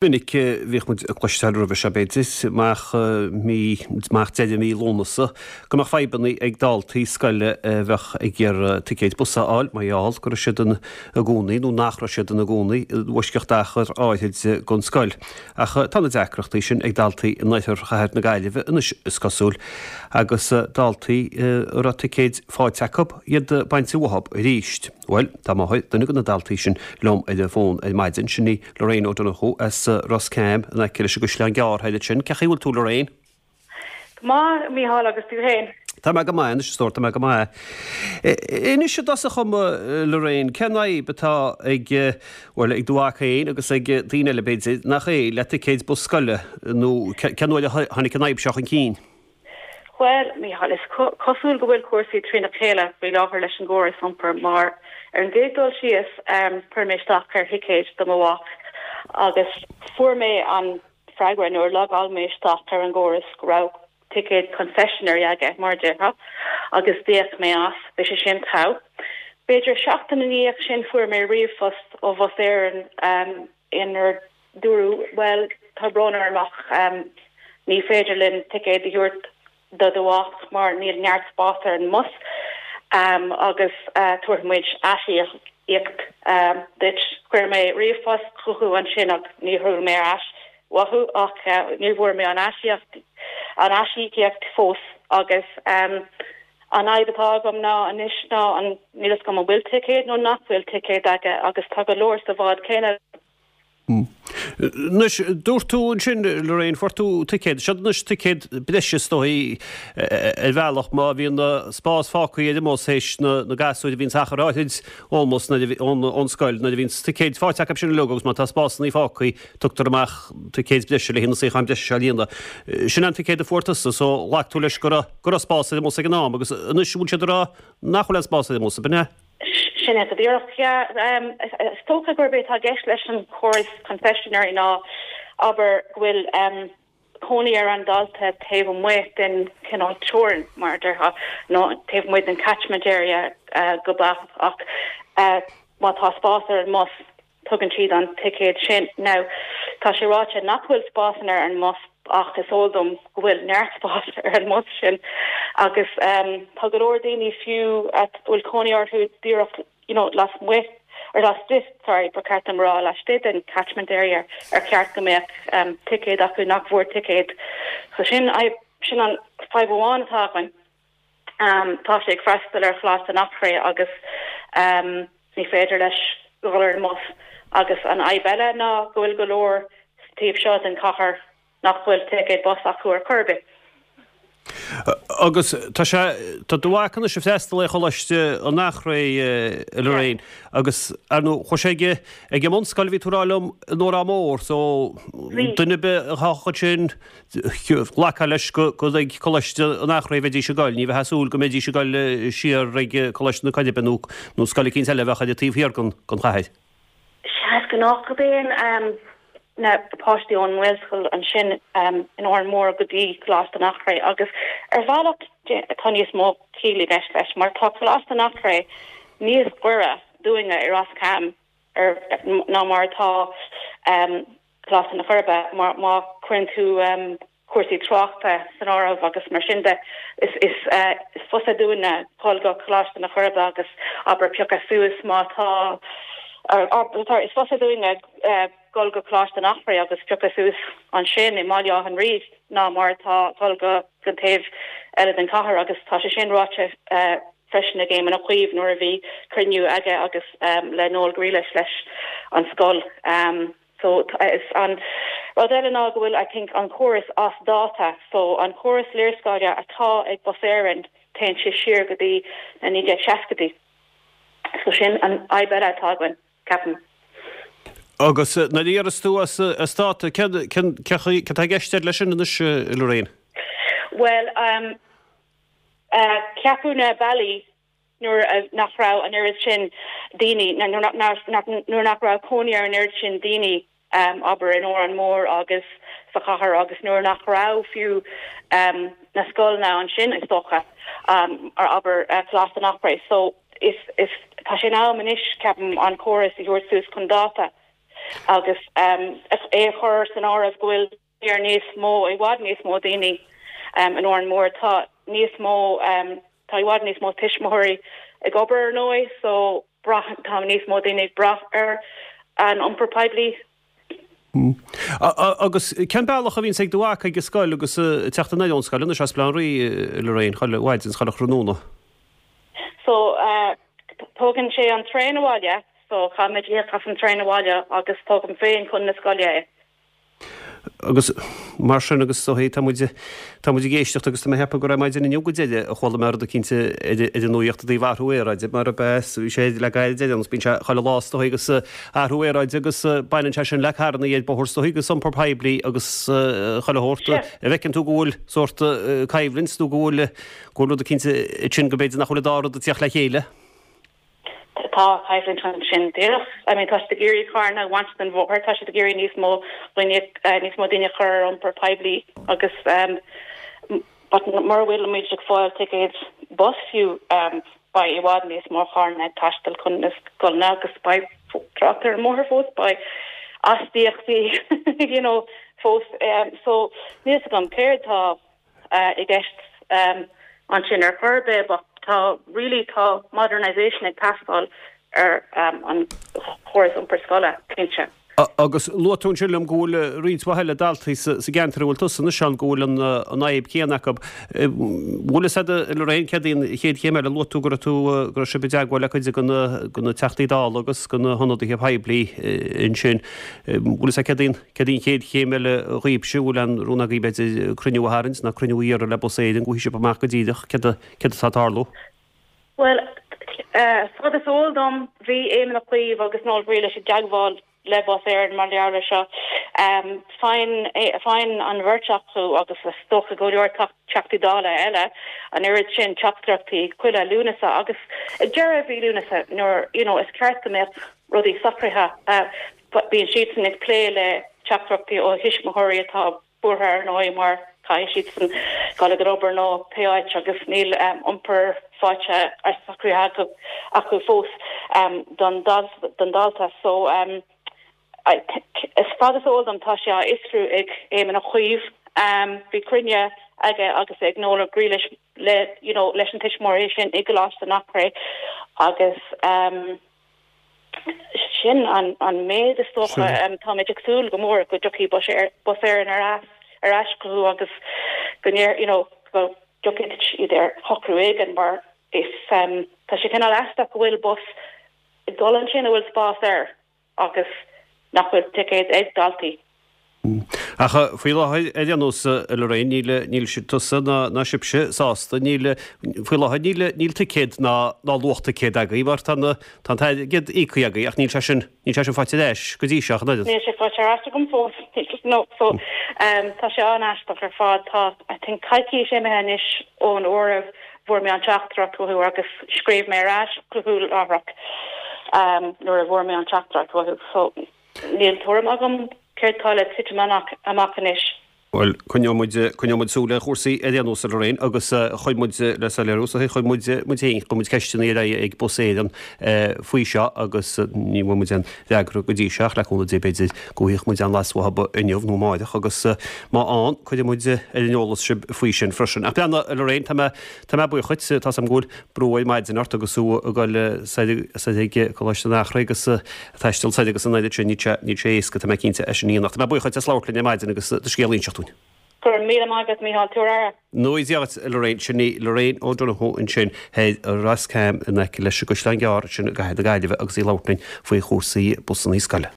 Minic bhíodh muid ag cloisteáil roimhe seo, b'fhéidir, amach mí, amach deireadh mí Lúnasa, go mbeadh fadhbanna ag daltaí scoile a bheadh ag iarraidh ticéid bus a fháil mar gheall go raibh siad ina gcónaí, nó nach raibh siad ina gcónaí, i bhfoisceacht achar áithrid den scoil. Ach tá na deacrachtaí sin ag daltaí in oirthear chathair na Gaillimhe anois, is cosúil, agus daltaí a raibh ticéid faighte acu, iad bainte uathu arís. Bhuel, tá máthair duine de na daltaí sin liom ar an bhfón ar maidin, sin í Lorraine O'Donoghue as Ros Cam in aice leis an gCaisleán Gearr thoir ansin. Cén chaoi a bhfuil tú Lorraine? Go maith, a Mhícheáil, agus tú féin? Tá mé go maith anois, a stór, tá mé go maith. Inis i dtosach dhom, Lorraine, cén fhadhb atá ag, bhuel, ag do mhac féin agus ag daoine eile b'fhéidir, nach é, le ticéid bus scoile, nó cén uair a tháinig an fhadhb seo chun cinn? Bhuel, Mícheál, is cosúil go bhfuil cúrsaí trína chéile faoi láthair leis an gcóras iompair mar, ar an gcéad dul síos, chuir mé isteach ar thicéid do mo mhac agus fuair mé an freagra nuair a logáil mé isteach ar an gcóras go raibh ticéad concessionary aige, mar a déarfá, agus d'íoc mé as. Bhí sé sin togha. B'fhéidir seachtain ina dhiaidh sin fuair mé ríomhphost ó Bhus Éireann inar dúradh, Bhuel, tá brón orm ach ní féidir linn ticéad a thabhairt do do mhac mar níl neart spás ar an mbus agus tabharfaidh muid aisíocaíocht duit. Chuir mé ríomhphost chucu ansin ach níor chuala mé ar ais uathu ach ní bhfuair mé an an aisíocaíocht fós agus an fhadhb atá agam ná anois ná an níl fhios agam an bhfuil ticéad nó nach bhfuil ticéad aige agus tá go leor sa bhád céanna. Anois, dúirt tú ansin, Lorraine, fuair tú ticéad. Seod anois ticéad breise, is dóigh, ar bhealach, má bhíonn spás fágtha ar an mbus théis na gasúir a bhíonns achar áithrid ón mbus nuair a, ón scoil, nuair a bhíonns ticéid faighte acu sin uilig agus má tá spásanna fágtha, tugtar amach ticéid breise le haghaidh na suíocháin breise seo a líonadh. Sin an ticéad a fuair tusa, so ghlac tú leis go raibh, go raibh spás ar an mbus ag an am agus anois an bhfuil siad ag rá nach bhfuil aon spás ar an mbus, ab in é? Sin é go díreach. Yeah. Is dócha gurb é atá i gceist leis an chóras concessionary ná, abair, go bhfuil cónaí ar an dalta taobh amuigh den chineál teorainn, mar a déarfá, nó taobh amuigh den catchment area go beacht ach má tá spás ar an mbus, Tugann siad an ticéad sin. Now, tá sé ráite nach bhfuil spásanna ar an mbus ach is eol dom go bhfuil neart spás ar an mbus sin agus tá go leor daoine fiú a bhfuil cónaí orthu díreach you know lasmuigh or laistigh, sorry, ba cheart dom a rá laistigh den catchment area ar cheart go mbeadh ticéad acu nach bhfuair ticéad. So sin sin an fadhb amháin atá againn. Tá sé ag freastal ar Choláiste an Eachréidh agus ní féidir leis dhul ar an mbus. Agus an fhadhb eile ná go bhfuil go leor sa taobh seo den chathair nach bhfuil ticéad bus acu ar chor ar bith. Agus tá sé, tá do mhac anois ag freastal ar Choláiste an Eachréidh, a Lorraine, agus ar ndóigh chuaigh sé ag, ag an mbunscoil a bhí tú ag rá liom in Órán Mór, so duine ar bith atá ansin, Ghlacfá leis gur ag Coláiste an Eachréidh a bheidís ag goil, ní bheifeá ag súil go mbeidís ag goil siar ag Coláiste na Coiribe nó nó scoil eicínt eile a bheadh ar an taobh thiar den chathair. Sea, is gnách go dtéann na páistí ón nGaelscoil ansin in Órán Mór go dtí Coláiste an Eachréidh agus ar bhealach tá níos mó ciall i gceist leis mar tá Coláiste an Eachréidh níos gaire dúinne i Ros Cam ná mar atá Coláiste na Coiribe, má chuireann tú cúrsaí tráchta san áireamh agus mar sin de, is fusa dúinne dhul go Coláiste na Coiribe agus abair piocadh suas má tá, is fusa dúinne dhul go Coláiste an Eachréidh agus piocadh suas ansin i mBaile Átha an Rí ná mar atá dhul go an taobh eile den chathair agus tá sé sin ráite freisin ag Éamon Ó Cuív nuair a bhí cruinniú aige agus le Noel Grealish leis an scoil. So is an rud eile ná go bhfuil I think an córas as dáta so an córas léarscáile atá ag Bus Éireann téann sé siar go dtí na 1960idí. So sin an fhadhb eile atá againn, ceapaim. Agus nuair a déarfas tú as as dáta cén cén cén chaoi cad tá i gceist leis sin anois Lorraine? Bhuel um Ceapadh na bealaí nuair nach raibh an oiread sin daoine, nuair nach raibh cónaí ar an oiread sin daoine, abair, in Órán Mór agus sa chathair agus nuair nach raibh fiú na scoileanna ansin, is dócha, abair, Coláiste an Eachréidh. So, is, tá sé in am anois, ceapaim, an córas a thabhairt suas chun dáta. Agus é a chur san áireamh go bhfuil ar níos mó, i bhfad níos mó daoine in Órán Mór, tá níos mó, tá i bhfad níos mó tuismitheoirí ag obair ar ndóigh, so braitheann, tá níos mó daoine ag brath ar an iompar poiblí. Agus cén bealach a bhíonns ag do mhac ag an scoil agus ag teacht anoir ón scoil anois as Baile Átha an Rí, Lorraine, chuile mhaidin 's chuile thráthnóna? So, tógann sé an traein abhaile, so caithfimid íoc as an traein abhaile agus tógaim féin chun na scoile é. Agus mar sin, agus is dóigh, tá muid, tá muid ag éisteacht agus tá mé ag ceapadh gur ar maidin inniu go deireadh a chuala mé rud eicínt ar an nuaíocht i dtaobh athrú aeráide, mar a bheas, bhí sé le gairid ar aon nós, bíonn sé chuile lá is dóigh agus athrú aeráide agus baineann sé sin le carrannaí ar bóthar is dóigh agus iompar poiblí agus chuile shórt. An bhfeiceann tú go bhfuil sórt coimhlint nó go bhfuil, go bhfuil rud eicínt ansin go mb'fhéidir nach bhfuil an dá rud ag tíocht le chéile? Tá coimhlint ansin díreach. I mean tá siad ag iarraidh carranna a bhaint den bhóthar, tá siad ag iarraidh níos mó daoine, níos mó daoine a chur ar iompar poiblí agus but mura bhfuil muid ag fáil ticéid bus fiú beidh i bhfad níos mó carranna ag taisteal chun na scoileanna agus beidh trácht ar an mbóthar fós, beidh astaíochtaí you know fós. So níl 'fhios agam céard tá i gceist ansin ar chor ar bith but tá really tá modernisation ag teastáil ar an chóras iompair scoile, cinnte. Agus luaigh tú ansin liom go bhfuil roinnt mhaith eile daltaí sa gceantar a bhfuil tusa anois ann go bhfuil an fhadhb chéanna acu. Bhfuil fhios agat Lorraine céard í an chéad chéim eile? Luaigh tú go raibh tú go raibh sibh i dteagmháil le cuid de na Teachtaí Dála agus de na hionadaithe poiblí ansin. Bhfuil fhios agat céard í an Céard í an chéad chéim eile dhaoibhse? Bhfuil aon rún agaibh b'fhéidir cruinniú a tharraingt nó cruinniú a iarraidh le Bus Éireann go bhfaighidh sibh amach go díreach céard céard atá ag tarlú? Bhuel, fad is eol dom, bhí Éamon Ó Cuív agus Noel Grealish i dteagmháil le Bus Éireann mar gheall air seo. Faigheann faigheann an bheirt acu agus is dócha go leor Teachtaí Dála eile an oiread sin teachtaireachtaí chuile Lúnasa agus ag deireadh mhí Lúnasa nuair you know is ceart go mbeadh rudaí socraithe. Bíonn siadsan ag plé le teachtaireachtaí ó thuismitheoirí atá buartha ar ndóigh mar caithfidh siadsan dul ag an obair nó pé áit agus níl iompar faighte socraithe acu fós don dalta. So as fad is eol dom tá sé á fhiosrú ag Éamon Ó Cuív. Bhí cruinniú aige agus ag Noel Grealish le you know leis na tuismitheoirí sin i gColáiste an Eachréidh agus Sin an méid is dócha. Táimid ag súil go mór go dtiocfaidh Bus Éireann ar ar ais chucu agus go you know go dtiocfaidh siad ar shocrú éigin mar is tá sé cineál aisteach go bhfuil bus ag dul ansin a bhfuil spás air agus nach bhfuil ticéid ag daltaí. Ach faoi láthair, ar aon nós, a Lorraine, níl, níl tusa ná, ná sibhse sásta, níl, faoi láthair níl, níl ticéad ná, ná luach ticéad agaibh mar tá na, tá an t-airgead íoctha agaibh ach níl sé sin, níl sé sin faighte ar ais go dtí seo ach an oiread. Níl sé faighte ar ais agam fós, no, so, tá sé an-aisteach ar fad. Tá, I think, coicís imithe anois ón uair a bhfuair mé an teachtaireacht uathu agus scríobh mé ar ais chucu láithreach nuair a bhfuair mé an teachtaireacht uathu, so. Níl tuairim agam céard tá le titim amach anois. Bhuel, coinneoidh muid, coinneoidh muid súil ar chúrsaí ar aon nós, a Lorraine, agus chuir muid, le soiléiriú, chuir muid, muid féin, chuir muid ceisteanna ar aghaidh ag Bus Éireann faoi seo agus ní bhfuair muid aon fhreagra go dtí seo ach le cúnamh Dé b'fhéidir go bhfaighidh muid aon bhlas uathu inniu nó amáireach agus má fhaigheann, cuirfidh muid ar an eolas sibh faoi sin freisin. Ach breathnaigh, a Lorraine, tá mé, tá mé buíoch dhuit, tá 's agam go bhfuil brú ar maidin ort agus tú ag dul soir ag Coláiste an Eachréidh agus taisteal soir agus an oiread sin, níl sé, níl sé éasca, tá mé cinnte, é sin a dhéanamh. Ach tá mé buíoch dhuit as labhairt linn ar maidin agus do scéal a inseacht dúinn. Go raibh míle maith agat, Mícheál. Tabhair aire. Go dté Dia dhuit, a Lorraine. Sin í Lorraine O'Donoghue ansin thoir i Ros Cam in aice leis an gCaisleán Gearr ansin i gcathair na Gaillimhe agus í ag labhairt linn faoi chúrsaí busannaí scoile.